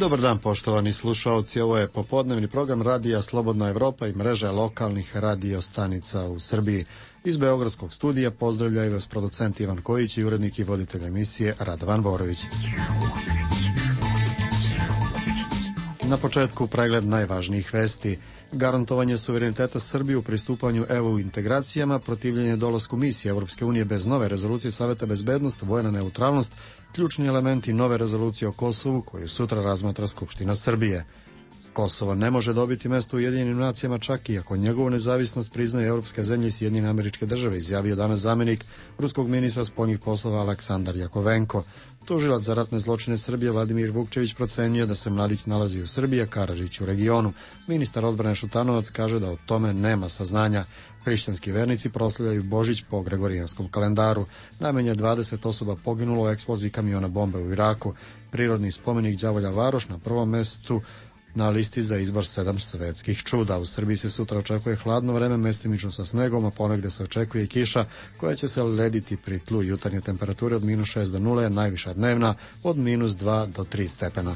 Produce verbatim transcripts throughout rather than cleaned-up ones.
Dobar dan, poštovani slušalci, ovo je popodnevni program Radija Slobodna Evropa i mreže lokalnih radio stanica u Srbiji. Iz Beogradskog studija pozdravljaju vas producent Ivan Kojić i urednik i voditelj emisije Radovan Borović. Na početku pregled najvažnijih vesti. Garantovanje suvereniteta Srbije u pristupanju E U integracijama, protivljenje dolasku misije Evropske unije bez nove rezolucije Saveta bezbednosti, vojna neutralnost, ključni elementi nove rezolucije o Kosovu koju sutra razmatra Skupština Srbije. Kosovo ne može dobiti mesto u Ujedinjenim nacijama čak i ako njegovu nezavisnost priznaje evropske zemlje i Sjedinjene Američke Države, izjavio danas zamenik ruskog ministra spoljnih poslova Aleksandar Jakovenko. Tužilac za ratne zločine Srbije Vladimir Vukčević procenjuje da se mladić nalazi u Srbiji, a Karadžić u regionu. Ministar odbrane Šutanovac kaže da o tome nema saznanja. Hrišćanski vernici proslavljaju Božić po gregorijanskom kalendaru. Najmanje dvadeset osoba poginulo u eksploziji kamiona bombe u Iraku. Prirodni spomenik Đavolja Varoš na prvom mestu na listi za izbor sedam svetskih čuda. U Srbiji se sutra očekuje hladno vreme, mestimično sa snegom, a ponegde se očekuje i kiša koja će se lediti pri tlu. Jutarnje temperature od minus šest do nule, najviša dnevna od minus dva do tri stepena.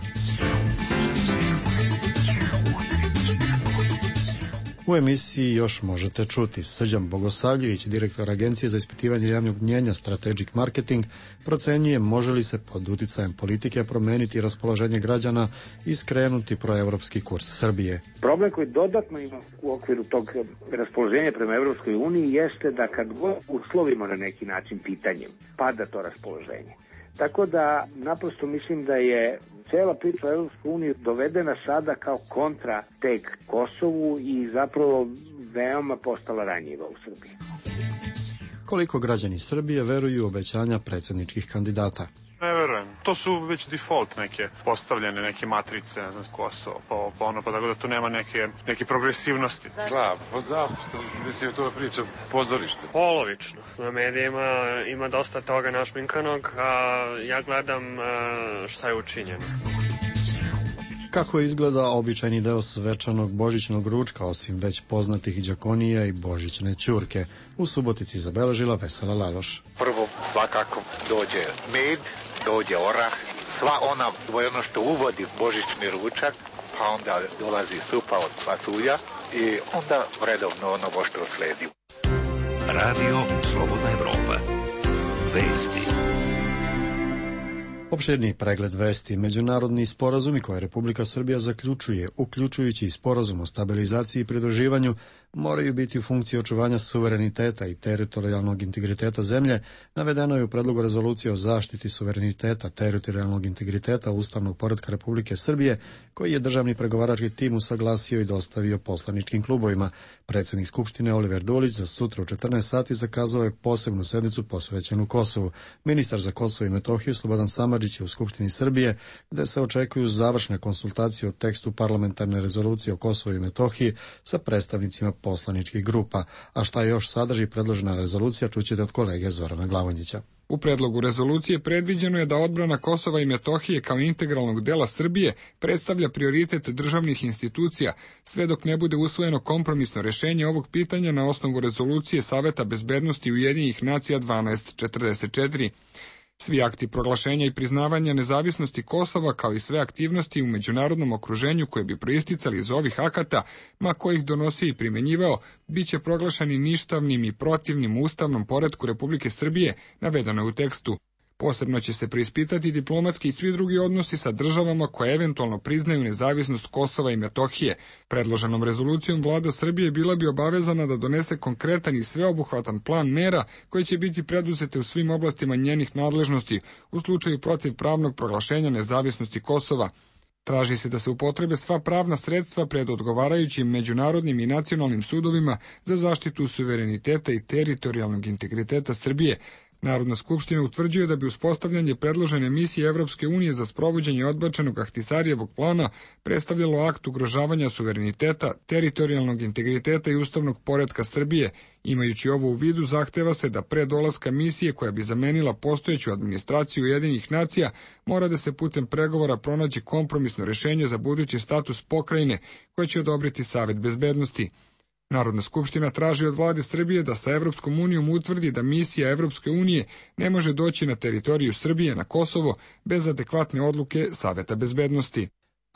U emisiji još možete čuti. Srđan Bogosavljević, direktor Agencije za ispitivanje javnog mnjenja Strategic Marketing, procenjuje može li se pod uticajem politike promeniti raspoloženje građana i skrenuti proevropski kurs Srbije. Problem koji dodatno ima u okviru tog raspoloženja prema Evropskoj uniji jeste da kad god uslovimo na neki način pitanjem, pada to raspoloženje. Tako da naprosto mislim da je cela priča u Evropskoj uniji dovedena sada kao kontra tek Kosovu i zapravo veoma postala ranjiva u Srbiji. Koliko građani Srbije veruju u obećanja predsjedničkih kandidata? Ne verujem. To su već default neke postavljene, neke matrice, ne znam, s Kosovo, pa, pa ono, pa tako da tu nema neke, neke progresivnosti. Slab, pa da, što, mislim, to priča pozorište. Polovično. Na medijima ima dosta toga našminkanog, a ja gledam šta je učinjeno. Kako izgleda običajni deo svečanog božićnog ručka, osim već poznatih đakonija i božićne ćurke? U Subotici zabeležila Vesela Laloš. Prvo svakako dođe med, dođe orah, sva ona, ono što uvodi božićni ručak, pa onda dolazi supa od pasulja i onda redovno ono što sledi. Radio Slobodna Evropa. Vesti. Opširni pregled vesti. Međunarodni sporazumi koje Republika Srbija zaključuje, uključujući i sporazum o stabilizaciji i pridruživanju, moraju biti u funkciji očuvanja suvereniteta i teritorijalnog integriteta zemlje, navedeno je u predlogu rezolucije o zaštiti suvereniteta, teritorijalnog integriteta ustavnog poretka Republike Srbije, koji je državni pregovarački tim usaglasio i dostavio poslaničkim klubovima. Predsjednik Skupštine Oliver Dulić za sutra u četrnaest sati zakazao je posebnu sednicu posvećenu Kosovu. Ministar za Kosovo i Metohiju Slobodan Samardžić je u Skupštini Srbije, gde se očekuju završne konsultacije o tekstu parlamentarne rezolucije o Kosovu i Metohiji sa predstavnicima poslaničkih grupa. A šta još sadrži predložena rezolucija, čućete od kolege Zorana Glavonjića. U predlogu rezolucije predviđeno je da odbrana Kosova i Metohije kao integralnog dela Srbije predstavlja prioritet državnih institucija, sve dok ne bude usvojeno kompromisno rešenje ovog pitanja na osnovu rezolucije Saveta bezbednosti Ujedinjenih nacija dvanaest četrdeset četiri. Svi akti proglašenja i priznavanja nezavisnosti Kosova, kao i sve aktivnosti u međunarodnom okruženju koje bi proisticali iz ovih akata, ma ko ih donosio i primenjivao, bit će proglašeni ništavnim i protivnim ustavnom poretku Republike Srbije, navedeno je u tekstu. Posebno će se preispitati diplomatski i svi drugi odnosi sa državama koje eventualno priznaju nezavisnost Kosova i Metohije. Predloženom rezolucijom vlada Srbije bila bi obavezana da donese konkretan i sveobuhvatan plan mera koje će biti preduzete u svim oblastima njenih nadležnosti u slučaju protivpravnog proglašenja nezavisnosti Kosova. Traži se da se upotrebe sva pravna sredstva pred odgovarajućim međunarodnim i nacionalnim sudovima za zaštitu suvereniteta i teritorijalnog integriteta Srbije. Narodna skupština utvrđuje da bi uspostavljanje predložene misije Evropske unije za sprovođenje odbačenog Ahtisarijevog plana predstavljalo akt ugrožavanja suvereniteta, teritorijalnog integriteta i ustavnog poretka Srbije. Imajući ovo u vidu, zahteva se da pre dolaska misije koja bi zamenila postojeću administraciju Ujedinjenih nacija mora da se putem pregovora pronađe kompromisno rešenje za budući status pokrajine koje će odobriti Savet bezbednosti. Narodna skupština traži od vlade Srbije da sa Evropskom unijom utvrdi da misija Evropske unije ne može doći na teritoriju Srbije na Kosovo bez adekvatne odluke Saveta bezbednosti.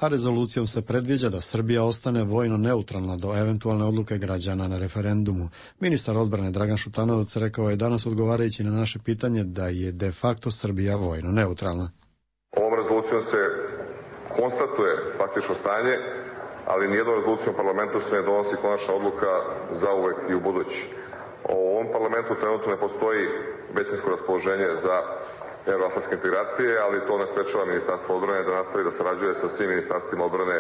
a rezolucijom se predviđa da Srbija ostane vojno neutralna do eventualne odluke građana na referendumu. Ministar odbrane Dragan Šutanovac rekao je danas odgovarajući na naše pitanje da je de facto Srbija vojno neutralna. Ovom rezolucijom se konstatuje faktično stanje, ali nijednom rezolucijom parlamentu se ne donosi konačna odluka za uvek i u budući. U ovom parlamentu trenutno ne postoji većinsko raspoloženje za evroatlantske integracije, ali to ne sprečava Ministarstvo odbrane da nastavi da sarađuje sa svim ministarstvima odbrane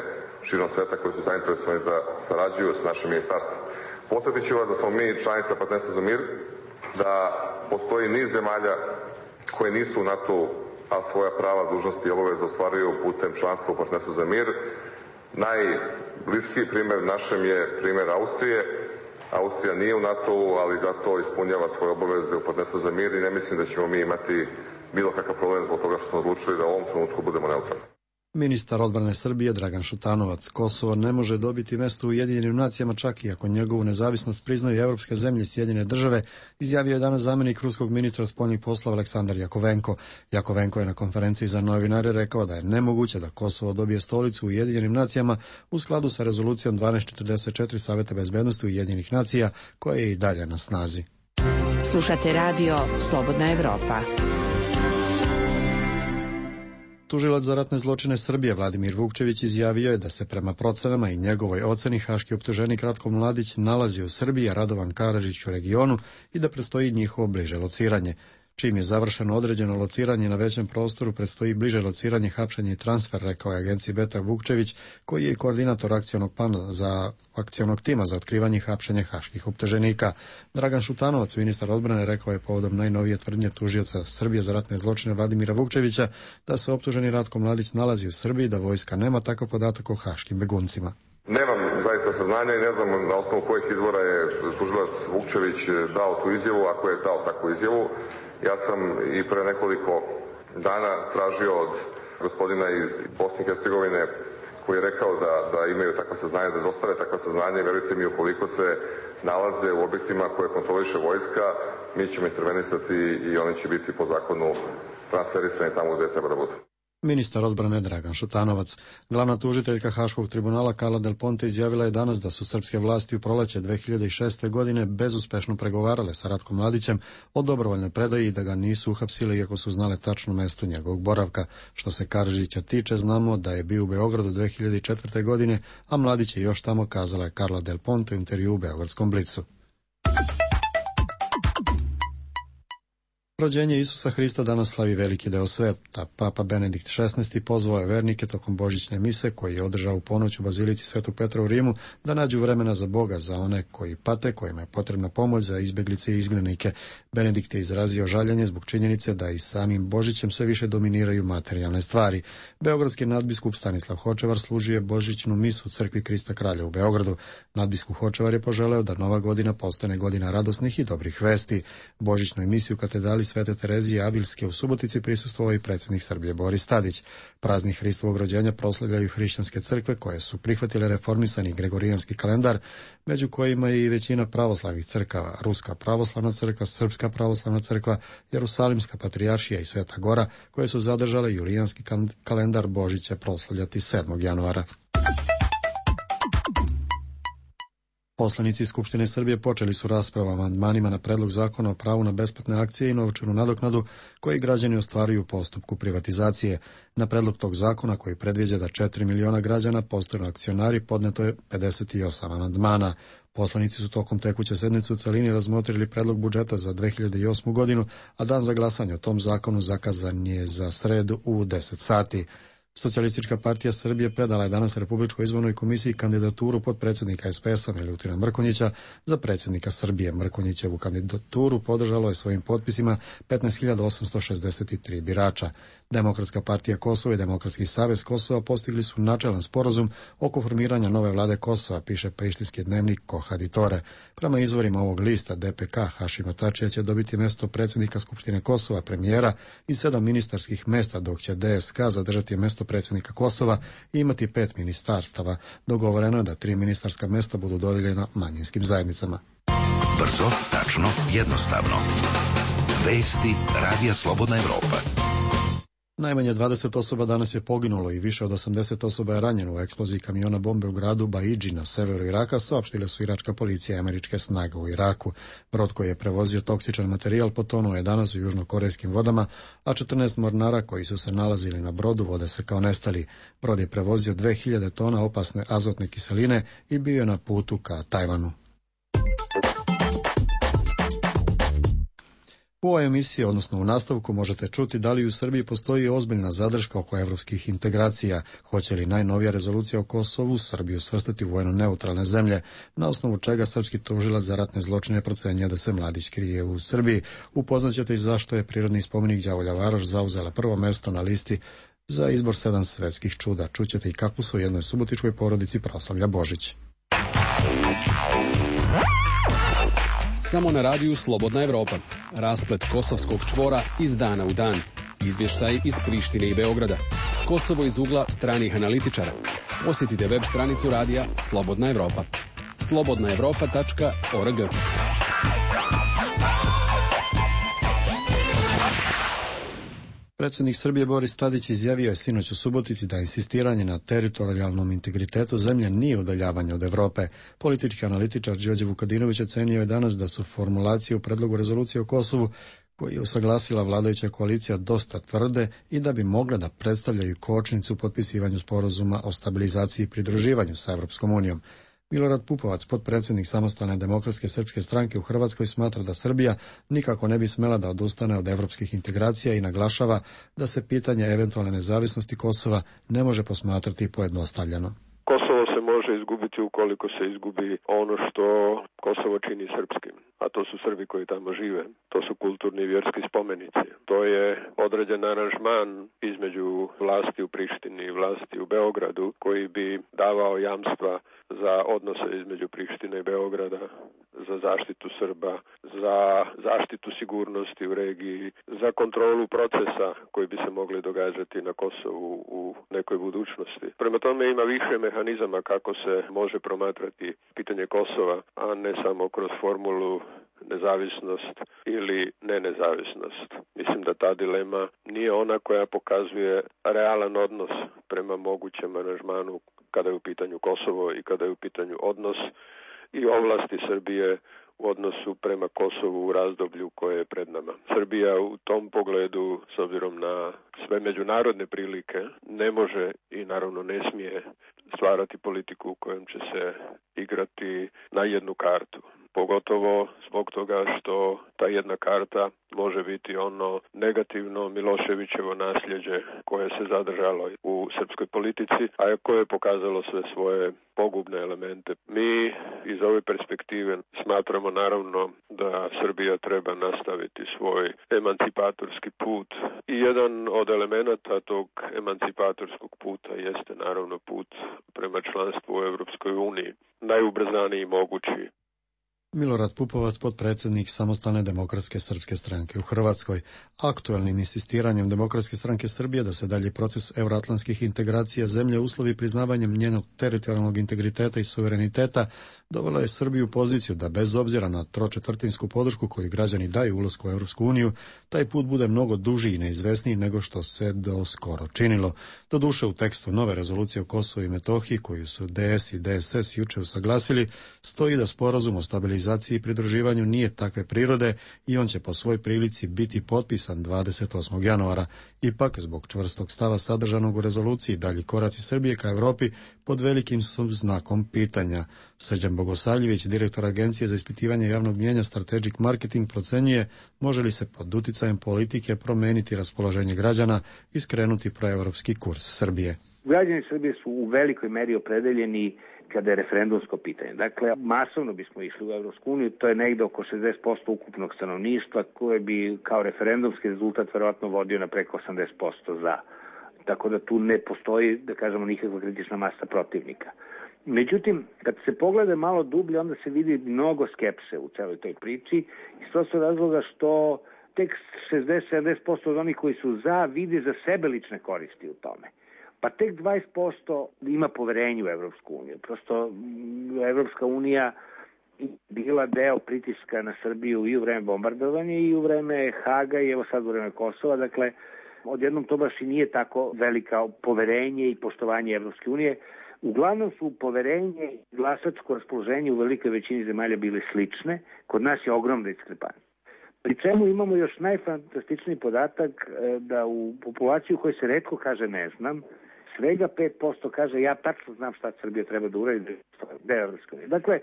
širom sveta koji su zainteresovani da sarađuju sa našim ministarstvom. Podsjetit ću vas da smo mi članica Partnerstva za mir, da postoji niz zemalja koje nisu u NATO-u, a svoja prava, dužnosti i obaveze ostvaruju putem članstva u Partnerstvu za mir. Najbliskiji primer našem je primer Austrije. Austrija nije u NATO-u, ali zato ispunjava svoje obaveze u Partnerstvu za mir i ne mislim da ćemo mi imati bilo kakav problem zbog toga što smo odlučili da u ovom trenutku budemo neutralni. Ministar odbrane Srbije Dragan Šutanovac: Kosovo ne može dobiti mesto u Ujedinjenim nacijama čak i ako njegovu nezavisnost priznaju evropske zemlje i Sjedinjene države, izjavio je danas zamenik ruskog ministra spoljnih poslova Aleksandar Jakovenko. Jakovenko je na konferenciji za novinare rekao da je nemoguće da Kosovo dobije stolicu u Ujedinjenim nacijama u skladu sa rezolucijom dvanaest četrdeset četiri Saveta bezbednosti Ujedinjenih nacija, koja je i dalje na snazi. Slušate radio Slobodna Evropa. Tužilac za ratne zločine Srbije Vladimir Vukčević izjavio je da se prema procenama i njegovoj oceni haški optuženik Ratko Mladić nalazi u Srbiji, a Radovan Karadžić u regionu i da predstoji njihovo bliže lociranje. Čim je završeno određeno lociranje na većem prostoru, predstoji bliže lociranje, hapšenje i transfer, rekao je agenciji Beta Vukčević, koji je koordinator akcionog plana za akcionog tima za otkrivanje i hapšenje haških optuženika. Dragan Šutanovac, ministar odbrane, rekao je povodom najnovije tvrdnje tužioca Srbije za ratne zločine Vladimira Vukčevića da se optuženi Ratko Mladić nalazi u Srbiji, da vojska nema takav podatak o haškim beguncima. Nemam zaista saznanja i ne znam na osnovu kojih izvora je tužilac Vukčević dao tu izjavu, ako je dao takvu izjavu. Ja sam i pre nekoliko dana tražio od gospodina iz Bosne i Hercegovine koji je rekao da, da imaju takva saznanja, da dostave takva saznanja i verujte mi, ukoliko se nalaze u objektima koje kontroliše vojska, mi ćemo intervenisati i oni će biti po zakonu transferisani tamo gde treba da budu. Ministar odbrane Dragan Šutanovac. Glavna tužiteljka Haškog tribunala Carla Del Ponte izjavila je danas da su srpske vlasti u proleće dve hiljade šeste. godine bezuspešno pregovarale sa Ratkom Mladićem o dobrovoljnoj predaji i da ga nisu uhapsili iako su znale tačno mesto njegovog boravka. Što se Karadžića tiče, znamo da je bio u Beogradu dve hiljade četvrte. godine, a Mladić je još tamo, kazala je Carla Del Ponte u intervju u Beogradskom Blicu. Rođenje Isusa Hrista danas slavi veliki deo sveta. Papa Benedikt šesnaesti. pozvao je vernike tokom božićne mise, koji je održao u ponoć u bazilici Svetog Petra u Rimu, da nađu vremena za Boga, za one koji pate, kojima je potrebna pomoć, za izbeglice i izgnanike. Benedikt je izrazio žaljenje zbog činjenice da i samim Božićem sve više dominiraju materijalne stvari. Beogradski nadbiskup Stanislav Hočevar služio je božićnu misu u crkvi Krista Kralja u Beogradu. Nadbiskup Hočevar je poželeo da nova godina postane godina radosnih i dobrih vesti. Božićnoj misi u katedrali Svete Terezije Avilske u Subotici prisustvovao i predsjednik Srbije Boris Tadić. Praznik Hristovog rođenja proslavljaju hrišćanske crkve koje su prihvatile reformisani gregorijanski kalendar, među kojima je i većina pravoslavnih crkava: Ruska pravoslavna crkva, Srpska pravoslavna crkva, Jerusalimska patrijaršija i Sveta Gora, koje su zadržale julijanski kalendar. Božić će proslavljati sedmog januara. Poslanici Skupštine Srbije počeli su raspravu o amandmanima na predlog zakona o pravu na besplatne akcije i novčanu nadoknadu koji građani ostvaruju u postupku privatizacije. Na predlog tog zakona, koji predviđa da četiri miliona građana postanu akcionari, podneto je pedeset osam amandmana. Poslanici su tokom tekuće sednice u celini razmotrili predlog budžeta za dve hiljade osmu. godinu, a dan za glasanje o tom zakonu zakazan je za sredu u deset sati. Socijalistička partija Srbije predala je danas Republičkoj izbornoj komisiji kandidaturu potpredsjednika es pe es-a Milutina Mrkonjića za predsjednika Srbije. Mrkonjićevu kandidaturu podržalo je svojim potpisima petnaest hiljada osamsto šezdeset tri birača. Demokratska partija Kosova i Demokratski savez Kosova postigli su načelan sporazum oko formiranja nove vlade Kosova, piše prištinski dnevnik Kohaditore. Prema izvorima ovog lista, de pe ka Hašima Tačija će dobiti mesto predsjednika Skupštine Kosova, premijera i sedam ministarskih mesta, dok će de es ka zadržati mesto predsjednika Kosova i imati pet ministarstava. Dogovoreno je da tri ministarska mesta budu dodijeljena manjinskim zajednicama. Brzo, tačno, jednostavno. Vesti Radija Slobodna Evropa. Najmanje dvadeset osoba danas je poginulo i više od osamdeset osoba je ranjeno u eksploziji kamiona bombe u gradu Baidži na severu Iraka, saopštile su iračka policija i američke snage u Iraku. Brod koji je prevozio toksičan materijal potonuo je danas u južnokorejskim vodama, a četrnaest mornara koji su se nalazili na brodu vode se kao nestali. Brod je prevozio dve hiljade tona opasne azotne kiseline i bio je na putu ka Tajvanu. U ovoj emisiji, odnosno u nastavku, možete čuti da li u Srbiji postoji ozbiljna zadrška oko evropskih integracija, hoće li najnovija rezolucija o Kosovu Srbiju svrstati u vojno neutralne zemlje, na osnovu čega srpski tužilac za ratne zločine procenjuje da se Mladić krije u Srbiji. Upoznaćete i zašto je prirodni spomenik Đavolja Varoš zauzela prvo mesto na listi za izbor sedam svetskih čuda. Čućete i kako su u jednoj subotičkoj porodici proslavlja Božić. Samo na radiju Slobodna Evropa. Rasplet kosovskog čvora iz dana u dan. Izvještaj iz Prištine i Beograda. Kosovo iz ugla stranih analitičara. Posjetite web stranicu radija Slobodna Evropa. slobodna evropa tačka org. Predsjednik Srbije Boris Tadić izjavio je sinoć u Subotici da insistiranje na teritorijalnom integritetu zemlje nije udaljavanje od Evrope. Politički analitičar Đorđe Vukadinović ocenio je danas da su formulacije u predlogu rezolucije o Kosovu koji je usaglasila vladajuća koalicija dosta tvrde i da bi mogle da predstavljaju kočnicu u potpisivanju sporazuma o stabilizaciji i pridruživanju sa Evropskom unijom. Milorad Pupovac, potpredsjednik Samostalne demokratske srpske stranke u Hrvatskoj, smatra da Srbija nikako ne bi smela da odustane od evropskih integracija i naglašava da se pitanje eventualne nezavisnosti Kosova ne može posmatrati pojednostavljeno. Kosovo se može izgubiti ukoliko se izgubi ono što Kosovo čini srpskim, a to su Srbi koji tamo žive. To su kulturni i vjerski spomenici. To je određen aranžman između vlasti u Prištini i vlasti u Beogradu koji bi davao jamstva za odnose između Prištine i Beograda, za zaštitu Srba, za zaštitu sigurnosti u regiji, za kontrolu procesa koji bi se mogli događati na Kosovu u nekoj budućnosti. Prema tome ima više mehanizama kako se može promatrati pitanje Kosova, a ne samo kroz formulu nezavisnost ili ne nezavisnost. Mislim da ta dilema nije ona koja pokazuje realan odnos prema mogućem aranžmanu kada je u pitanju Kosovo i kada je u pitanju odnos i ovlasti Srbije u odnosu prema Kosovu u razdoblju koje je pred nama. Srbija u tom pogledu, s obzirom na sve međunarodne prilike, ne može i naravno ne smije stvarati politiku u kojem će se igrati na jednu kartu. Pogotovo zbog toga što ta jedna karta može biti ono negativno Miloševićevo nasljeđe koje se zadržalo u srpskoj politici, a koje je pokazalo sve svoje pogubne elemente. Mi iz ove perspektive smatramo naravno da Srbija treba nastaviti svoj emancipatorski put i jedan od elemenata tog emancipatorskog puta jeste naravno put prema članstvu u Evropskoj uniji, najubrzaniji mogući. Milorad Pupovac, potpredsjednik Samostalne demokratske srpske stranke u Hrvatskoj. Aktuelnim insistiranjem Demokratske stranke Srbije da se dalje proces euroatlantskih integracija zemlje uslovi priznavanjem njenog teritorijalnog integriteta i suvereniteta dovela je Srbiju u poziciju da bez obzira na tročetvrtinsku podršku koju građani daju ulasku u Evropsku uniju, taj put bude mnogo duži i neizvesniji nego što se do skoro činilo. Doduše u tekstu nove rezolucije o Kosovu i Metohiji koju su D S i D S S juče usaglasili, stoji da sporazum o stabilizaciji i pridruživanju nije takve prirode i on će po svoj prilici biti potpisan dvadeset osmog januara. Ipak, zbog čvrstog stava sadržanog u rezoluciji, dalji koraci Srbije ka Evropi pod velikim su znakom pitanja. Srđan Bogosavljević, direktor Agencije za ispitivanje javnog mnijenja Strategic Marketing, procenjuje može li se pod uticajem politike promeniti raspoloženje građana i skrenuti proevropski kurs Srbije. Građani Srbije su u velikoj meri opredeljeni kada je referendumsko pitanje. Dakle, masovno bismo išli u Evropsku uniju, to je negde oko šezdeset posto ukupnog stanovništva koje bi kao referendumski rezultat verovatno vodio na preko osamdeset posto za. Tako da tu ne postoji, da kažemo, nikakva kritična masa protivnika. Međutim, kad se pogleda malo dublje, onda se vidi mnogo skepse u celoj toj priči iz prostog razloga što tek šezdeset do sedamdeset posto od onih koji su za vide za sebe lične koristi u tome. Pa tek dvadeset posto ima poverenje u Evropsku uniju. Prosto Evropska unija bila deo pritiska na Srbiju i u vreme bombardovanja i u vreme Haga i evo sad u vreme Kosova. Dakle, odjednom to baš i nije tako velika poverenje i poštovanje Evropske unije. Uglavnom su poverenje i glasačko raspoloženje u velikoj većini zemalja bile slične, kod nas je ogromna diskrepancija. Pri čemu imamo još najfantastičniji podatak da u populaciji u kojoj se retko kaže ne znam, svega pet posto kaže ja tačno znam šta Srbija treba da uradi, da je Evropska unija. Dakle,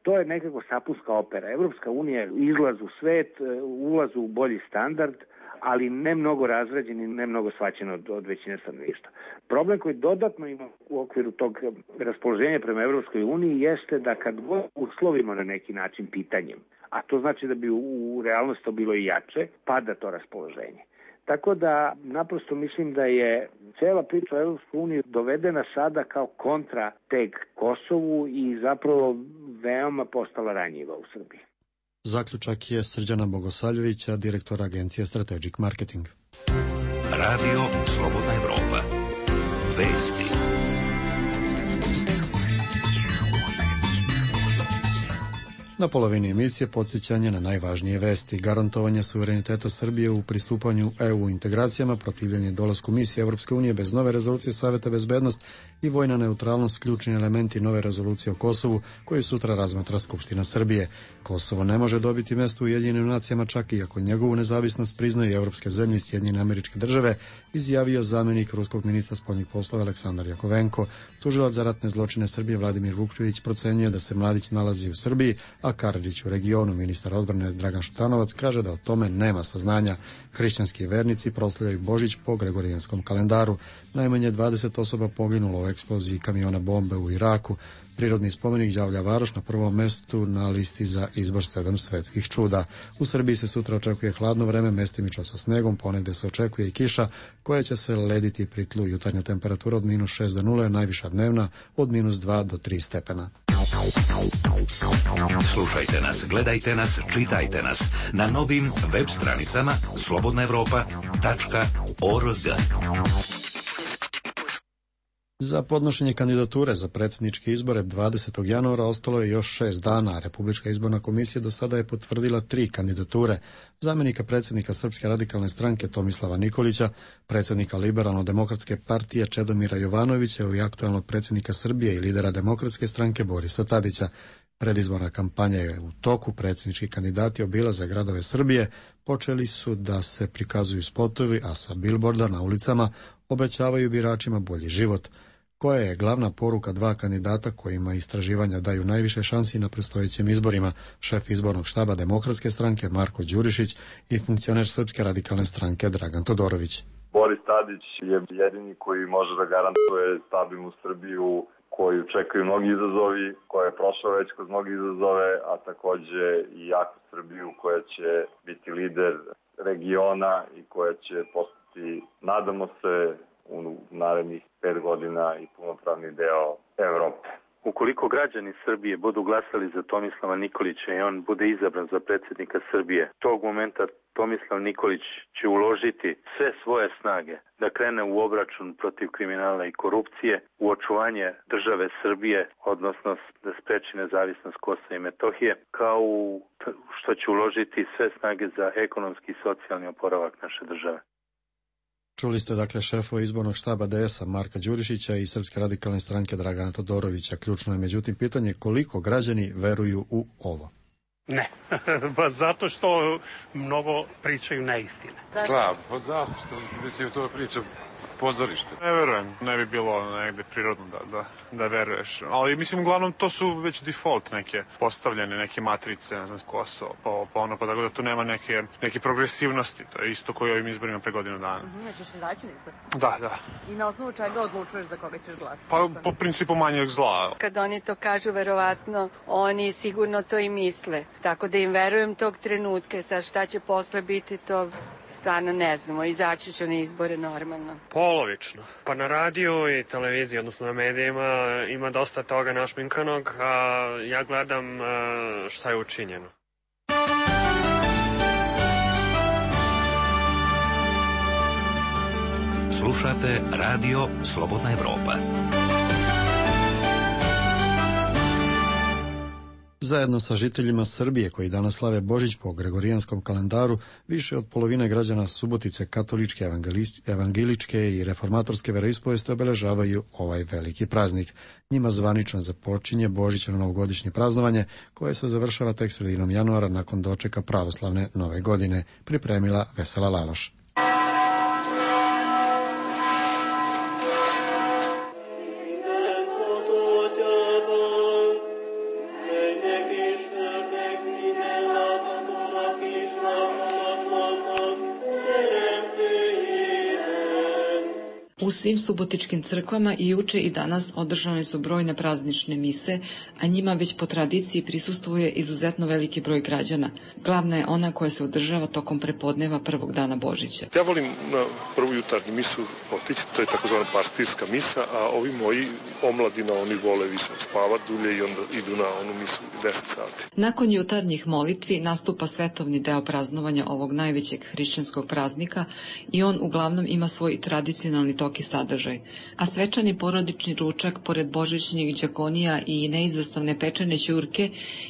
to je nekako sapunska opera. Evropska unija je izlaz u svet, ulaz u bolji standard, ali ne mnogo razrađen i ne mnogo shvaćen od, od većine stanovništva. Problem koji dodatno ima u okviru tog raspoloženja prema Evropskoj uniji jeste da kad god uslovimo na neki način pitanjem, a to znači da bi u, u realnosti to bilo i jače, pada to raspoloženje. Tako da naprosto mislim da je cela priča o Evropskoj uniji dovedena sada kao kontra tek Kosovu i zapravo veoma postala ranjiva u Srbiji. Zaključak je Srđana Bogosaljevića, direktora agencije Strategic Marketing. Radio Slobodna Evropa. Vesti. Na polovini emisije podsjećanje na najvažnije vesti. Garantovanje suvereniteta Srbije u pristupanju E U integracijama, protivljenje dolasku misije Evropske unije bez nove rezolucije Saveta bezbednost i vojna neutralnost ključni elementi nove rezolucije o Kosovu koju sutra razmatra Skupština Srbije. Kosovo ne može dobiti mesto u Ujedinjenim nacijama čak i ako njegovu nezavisnost priznaju evropske zemlje i Sjedinjene Američke Države, izjavio zamenik ruskog ministra spoljnih poslova Aleksandar Jakovenko. Tužilac za ratne zločine Srbije Vladimir Vukčević procenjuje da se Mladić nalazi u Srbiji, a Karadžić u regionu. Ministar odbrane Dragan Šutanovac kaže da o tome nema saznanja. Hrišćanski vernici proslavljaju Božić po gregorijanskom kalendaru. Najmanje dvadeset osoba poginulo u eksploziji kamiona bombe u Iraku. Prirodni spomenik Đavlja Varoš na prvom mestu na listi za izbor sedam svetskih čuda. U Srbiji se sutra očekuje hladno vreme, mestimično sa snegom, ponegde se očekuje i kiša koja će se lediti pri tlu. Jutarnja temperatura od minus šest do nule, najviša dnevna od minus dva do tri stepena. Slušajte nas, gledajte nas, čitajte nas na novim web stranicama slobodna evropa tačka org. Za podnošenje kandidature za predsjedničke izbore dvadesetog januara ostalo je još šest dana. Republička izborna komisija do sada je potvrdila tri kandidature. Zamjenika predsjednika Srpske radikalne stranke Tomislava Nikolića, predsjednika Liberalno-demokratske partije Čedomira Jovanovića i aktualnog predsjednika Srbije i lidera Demokratske stranke Borisa Tadića. Predizborna kampanja je u toku. Predsjednički kandidati obilaze gradove Srbije. Počeli su da se prikazuju spotovi, a sa bilborda na ulicama obećavaju biračima bolji život. Koja je glavna poruka dva kandidata kojima istraživanja daju najviše šansi na predstojećim izborima? Šef izbornog štaba Demokratske stranke Marko Đurišić i funkcioner Srpske radikalne stranke Dragan Todorović. Boris Tadić je jedini koji može da garantuje stabilnu Srbiju koju čekaju mnogi izazovi, koja je prošla već kroz mnogi izazove, a takođe i jaku Srbiju koja će biti lider regiona i koja će postati, nadamo se, u narednih pet godina i punopravni deo Evrope. Ukoliko građani Srbije budu glasali za Tomislava Nikolića i on bude izabran za predsjednika Srbije, tog momenta Tomislav Nikolić će uložiti sve svoje snage da krene u obračun protiv kriminala i korupcije, u očuvanje države Srbije, odnosno da spreči nezavisnost Kosova i Metohije, kao što će uložiti sve snage za ekonomski i socijalni oporavak naše države. Čuli ste dakle šefova izbornog štaba D S-a Marka Đurišića i Srpske radikalne stranke Dragana Todorovića. Ključno je međutim pitanje koliko građani veruju u ovo. Ne, ba zato što mnogo pričaju neistine. Slab, pa zato što mislim to priča pozorište. Ne verujem, ne bi bilo negde prirodno da, da, da veruješ. Ali mislim, uglavnom, to su već default neke postavljene, neke matrice, ne znam, Kosovo, pa, pa ono, pa tako da tu nema neke, neke progresivnosti. To je isto koji ovim izborima pre godinu dana. Mm-hmm, ćeš se zaći na izbor? Da, da. I na osnovu čega odlučuješ za koga ćeš glasati? Pa po principu manjeg zla. Kad oni to kažu, verovatno, oni sigurno to i misle. Tako da im verujem tog trenutka. Sad šta će posle biti, to stvarno ne znamo. Izaći ću na izbore normalno. Polovično. Pa na radiju i televiziji, odnosno na medijima, ima dosta toga našminkanog, a ja gledam šta je učinjeno. Slušate Radio Slobodna Evropa. Zajedno sa žiteljima Srbije koji danas slave Božić po gregorijanskom kalendaru, više od polovine građana Subotice katoličke, evangeličke i reformatorske veroispovesti obeležavaju ovaj veliki praznik. Njima zvanično započinje Božićno novogodišnje praznovanje koje se završava tek sredinom januara nakon dočeka pravoslavne nove godine, pripremila Vesela Laloš. U svim subotičkim crkvama i juče i danas održane su brojne praznične mise, a njima već po tradiciji prisustvuje izuzetno veliki broj građana. Glavna je ona koja se održava tokom prepodneva prvog dana Božića. Ja volim na prvu jutarnju misu otići, to je takozvana pastirska misa, a ovi moji omladina, oni vole više spavati dulje i onda idu na onu misu deset sati. Nakon jutarnjih molitvi nastupa svetovni deo praznovanja ovog najvećeg hrišćanskog praznika i on uglavnom ima svoj tradicionalni tok i sadržaj. A svečani porodični ručak, pored božićnih đakonija i neizostavne pečene ćurke,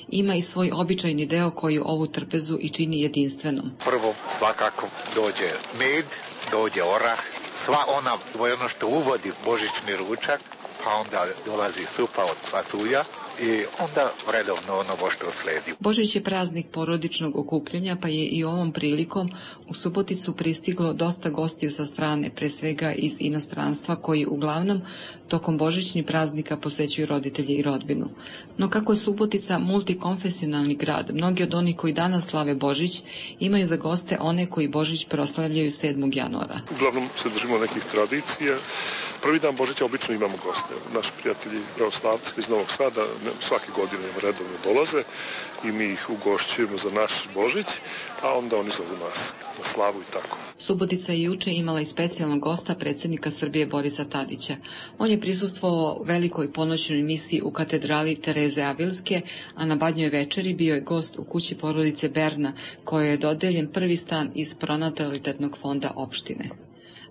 ima i svoj običajni deo koji ovu trpezu i čini jedinstvenom. Prvo svakako dođe med, dođe orah, sva ona, ono što uvodi božićni ručak, pa onda dolazi supa od pasulja i onda redovno ono što sledi. Božić je praznik porodičnog okupljanja, pa je i ovom prilikom u Suboticu pristiglo dosta gostiju sa strane, pre svega iz inostranstva, koji uglavnom tokom božićnih praznika posećuju roditelji i rodbinu. No kako je Subotica multikonfesionalni grad, mnogi od onih koji danas slave Božić imaju za goste one koji Božić proslavljaju sedmog januara. Uglavnom se držimo nekih tradicija. Prvi dan Božića obično imamo goste. Naši prijatelji pravoslavci iz Novog Sada svake godine redovno dolaze i mi ih ugošćujemo za naš Božić, a onda oni zovu nas na slavu i tako. Subotica je juče imala i specijalnog gosta, predsjednika Srbije Borisa Tadića. On je prisustvovao velikoj ponoćnoj misiji u katedrali Tereze Avilske, a na Badnjoj večeri bio je gost u kući porodice Berna, kojoj je dodeljen prvi stan iz pronatalitetnog fonda opštine.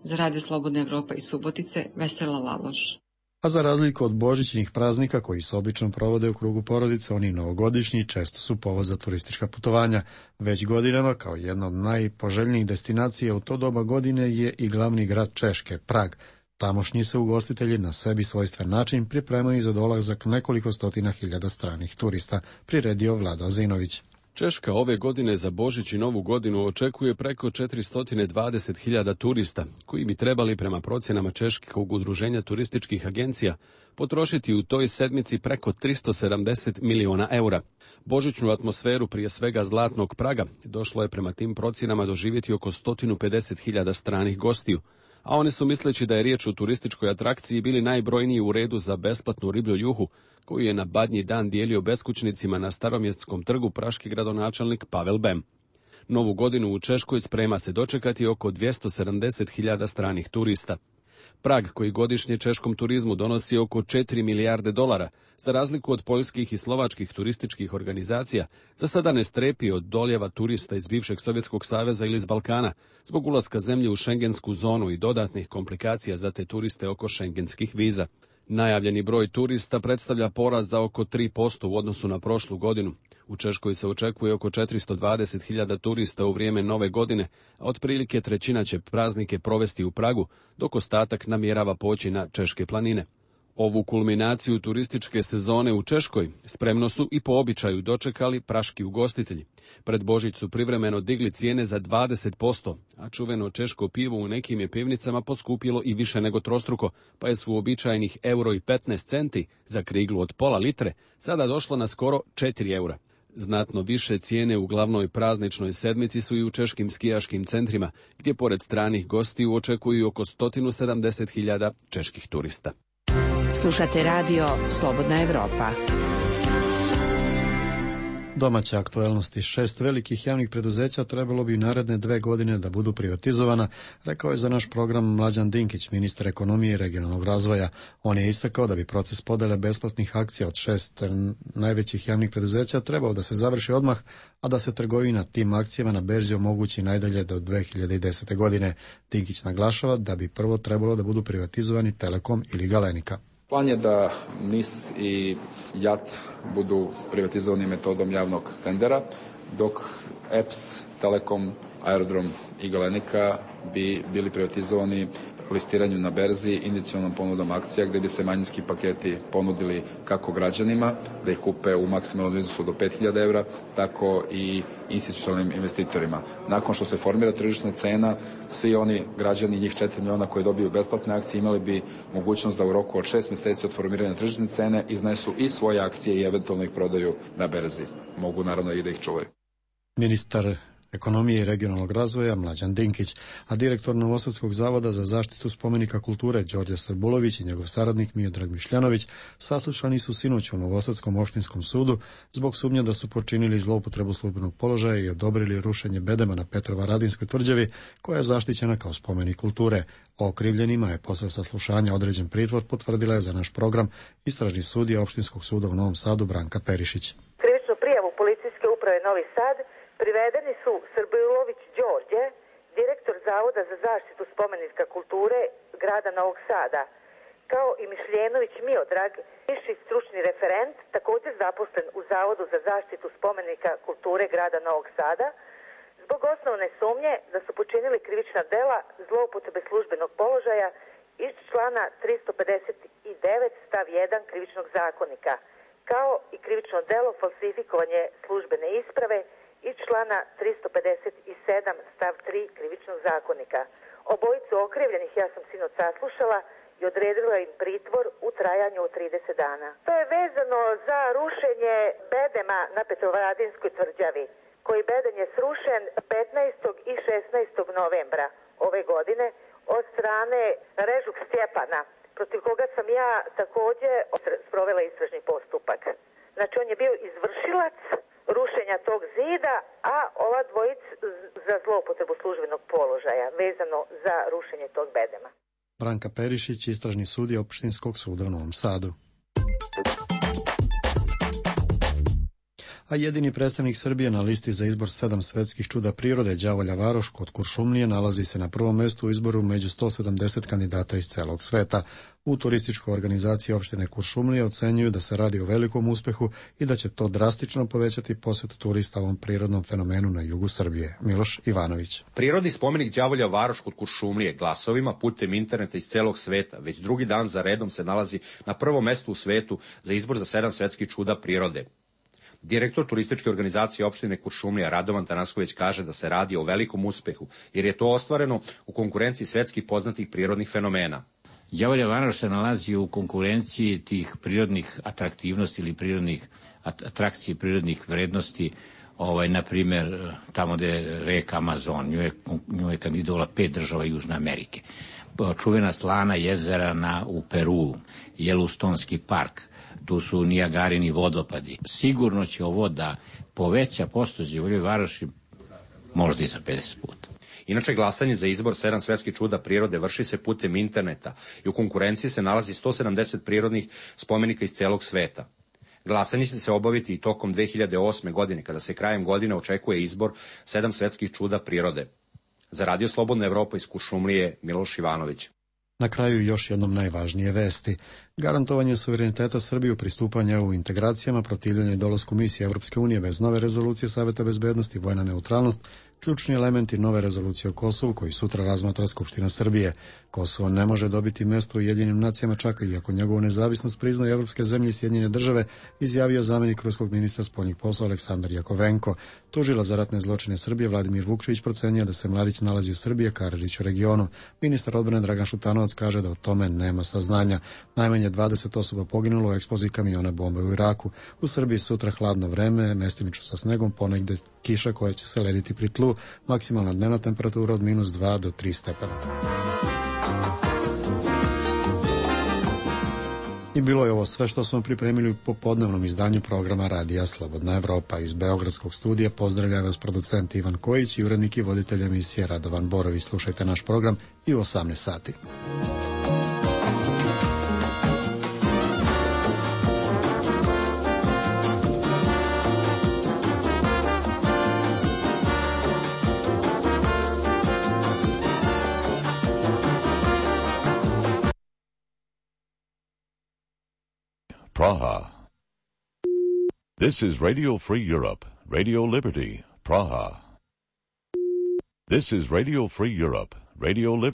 Za Radio Slobodna Evropa iz Subotice, Vesela Laloš. A za razliku od božićnih praznika koji se obično provode u krugu porodice, oni novogodišnji često su povod za turistička putovanja. Već godinama, kao jedna od najpoželjnijih destinacija u to doba godine, je i glavni grad Češke, Prag. Tamošnji se ugostitelji na sebi svojstven način pripremaju za dolazak nekoliko stotina hiljada stranih turista, priredio Vlado Azinović. Češka ove godine za Božić i Novu godinu očekuje preko četiristo dvadeset hiljada turista, koji bi trebali prema procjenama Češkog udruženja turističkih agencija potrošiti u toj sedmici preko tristo sedamdeset miliona eura. Božićnu atmosferu, prije svega zlatnog Praga, došlo je prema tim procjenama doživjeti oko sto pedeset hiljada stranih gostiju, a oni su, misleći da je riječ o turističkoj atrakciji, bili najbrojniji u redu za besplatnu riblju juhu, koju je na Badnji dan dijelio beskućnicima na Staromjestskom trgu praški gradonačelnik Pavel Bem. Novu godinu u Češkoj sprema se dočekati oko dvjesto sedamdeset hiljada stranih turista. Prag, koji godišnje češkom turizmu donosi oko četiri milijarde dolara, za razliku od poljskih i slovačkih turističkih organizacija, za sada ne strepi od doljeva turista iz bivšeg Sovjetskog saveza ili iz Balkana, zbog ulaska zemlje u šengensku zonu i dodatnih komplikacija za te turiste oko šengenskih viza. Najavljeni broj turista predstavlja porast za oko tri posto u odnosu na prošlu godinu. U Češkoj se očekuje oko četiristo dvadeset hiljada turista u vrijeme nove godine, a otprilike trećina će praznike provesti u Pragu, dok ostatak namjerava poći na češke planine. Ovu kulminaciju turističke sezone u Češkoj spremno su i po običaju dočekali praški ugostitelji. Pred Božić su privremeno digli cijene za dvadeset posto, a čuveno češko pivo u nekim je pivnicama poskupilo i više nego trostruko, pa je su uobičajenih euro i petnaest centi za kriglu od pola litre sada došlo na skoro četiri eura. Znatno više cijene u glavnoj prazničnoj sedmici su i u češkim skijaškim centrima, gdje pored stranih gostiju očekuju oko sto sedamdeset hiljada čeških turista. Slušate radio Slobodna Evropa. Domaće aktuelnosti. Šest velikih javnih preduzeća trebalo bi naredne dve godine da budu privatizovana, rekao je za naš program Mlađan Dinkić, ministar ekonomije i regionalnog razvoja. On je istakao da bi proces podele besplatnih akcija od šest najvećih javnih preduzeća trebao da se završi odmah, a da se trgovina tim akcijama na berzi omogući najdalje do dve hiljade desete. godine. Dinkić naglašava da bi prvo trebalo da budu privatizovani Telekom ili Galenika. Plan je da N I S i J A T budu privatizovani metodom javnog tendera, dok E P S, Telekom, Aerodrom i Galenika bi bili privatizovani listiranjem na berzi, inicijalnom ponudom akcija, gde bi se manjinski paketi ponudili kako građanima, da ih kupe u maksimalnom iznosu do pet hiljada evra, tako i institucionalnim investitorima. Nakon što se formira tržišna cena, svi oni građani, njih četiri miliona koji dobiju besplatne akcije, imali bi mogućnost da u roku od šest meseci od formiranja tržišne cene iznesu i svoje akcije i eventualno ih prodaju na berzi. Mogu naravno i da ih čuvaju. Ministar ekonomije i regionalnog razvoja Mlađan Dinkić, a direktor Novosadskog zavoda za zaštitu spomenika kulture Đorđe Srbulović i njegov saradnik Miodrag Mišljanović saslušani su sinoć u Novosadskom opštinskom sudu zbog sumnje da su počinili zloupotrebu službenog položaja i odobrili rušenje bedema na Petrovaradinskoj tvrđavi, koja je zaštićena kao spomenik kulture. O okrivljenima je posle saslušanja određen pritvor, potvrdila je za naš program istražni sudija Opštinskog suda u Novom Sadu Branka Perišić. Krivičnu prijavu policijske uprave Novi Sad privedeni su Srbulović Đorđe, direktor Zavoda za zaštitu spomenika kulture grada Novog Sada, kao i Mišljenović Miodrag, viši stručni referent, također zaposlen u Zavodu za zaštitu spomenika kulture grada Novog Sada, zbog osnovne sumnje da su počinili krivična dela zloupotrebe službenog položaja iz člana tristo pedeset devet stav jedan krivičnog zakonika, kao i krivično delo falsifikovanje službene isprave iz člana tristo pedeset sedam stav tri krivičnog zakonika. Obojicu okrivljenih ja sam sinoć saslušala i odredila im pritvor u trajanju od trideset dana. To je vezano za rušenje bedema na Petrovaradinskoj tvrđavi, koji beden je srušen petnaestog i šesnaestog novembra ove godine od strane Režuk Stjepana, protiv koga sam ja također sprovela istražni postupak. Znači, on je bio izvršilac rušenja tog zida, a ova dvojica za zloupotrebu službenog položaja vezano za rušenje tog bedema. Branka Perišić, istražni sudija Opštinskog suda u Novom Sadu. A jedini predstavnik Srbije na listi za izbor sedam svetskih čuda prirode Đavolja Varoš kod Kuršumlije nalazi se na prvom mestu u izboru među sto sedamdeset kandidata iz celog sveta. U turističkoj organizaciji opštine Kuršumlije ocenjuju da se radi o velikom uspehu i da će to drastično povećati posetu turista ovom prirodnom fenomenu na jugu Srbije. Miloš Ivanović. Prirodni spomenik Đavolja Varoš kod Kuršumlije glasovima putem interneta iz celog sveta već drugi dan za redom se nalazi na prvom mestu u svetu za izbor za sedam svetskih čuda prirode. Direktor turističke organizacije opštine Kuršumlija Radovan Tanasković kaže da se radi o velikom uspehu, jer je to ostvareno u konkurenciji svetskih poznatih prirodnih fenomena. Đavolja Varoš se nalazi u konkurenciji tih prirodnih atraktivnosti ili prirodnih atrakcije, prirodnih vrednosti, ovaj, na primjer, tamo gde je reka Amazon, nju je, nju je kandidovala pet država Južne Amerike. Čuvena slana jezera na, u Peru, Jelustonski park, tu su Nijagarini vodopadi. Sigurno će ovo da poveća posto Đavolje Varoši možda i za pedeset puta. Inače, glasanje za izbor sedam svetskih čuda prirode vrši se putem interneta i u konkurenciji se nalazi sto sedamdeset prirodnih spomenika iz celog sveta. Glasanje će se obaviti i tokom dve hiljade osme. godine, kada se krajem godine očekuje izbor sedam svetskih čuda prirode. Za Radio Slobodna Evropa iz Kuršumlije, Miloš Ivanović. Na kraju još jednom najvažnije vesti. Garantovanje suvereniteta Srbije u pristupanju u integracijama, protivljenje dolasku misije Evropske unije bez nove rezolucije Saveta bezbednosti, vojna neutralnost, ključni elementi nove rezolucije o Kosovu koji sutra razmatra Skupština Srbije. Kosovo ne može dobiti mesto u Ujedinjenim nacijama čak i ako njegovu nezavisnost priznaju evropske zemlje i Sjedinjene države, izjavio zamenik ruskog ministra spoljnih poslova Aleksandar Jakovenko. Tužilac za ratne zločine Srbije Vladimir Vukčević procenjuje da se mladić nalazi u Srbiji, Karadžić u regionu. Ministar odbrane Dragan Šutanovac kaže da o tome nema saznanja. Najmanje dvadeset osoba poginulo u eksploziji kamiona bombe u Iraku. U Srbiji sutra hladno vreme, mestimično sa snegom, ponegde kiša koja će se lediti pri tlu, maksimalna dnevna temperatura od minus dva do tri stepena. I bilo je ovo sve što smo pripremili u popodnevnom izdanju programa Radija Slobodna Evropa. Iz Beogradskog studija pozdravlja vas producent Ivan Kojić i urednik i voditelj emisije Radovan Borović. Slušajte naš program i u osamnaest sati. This is Radio Free Europe, Radio Liberty, Praha. This is Radio Free Europe, Radio Liberty.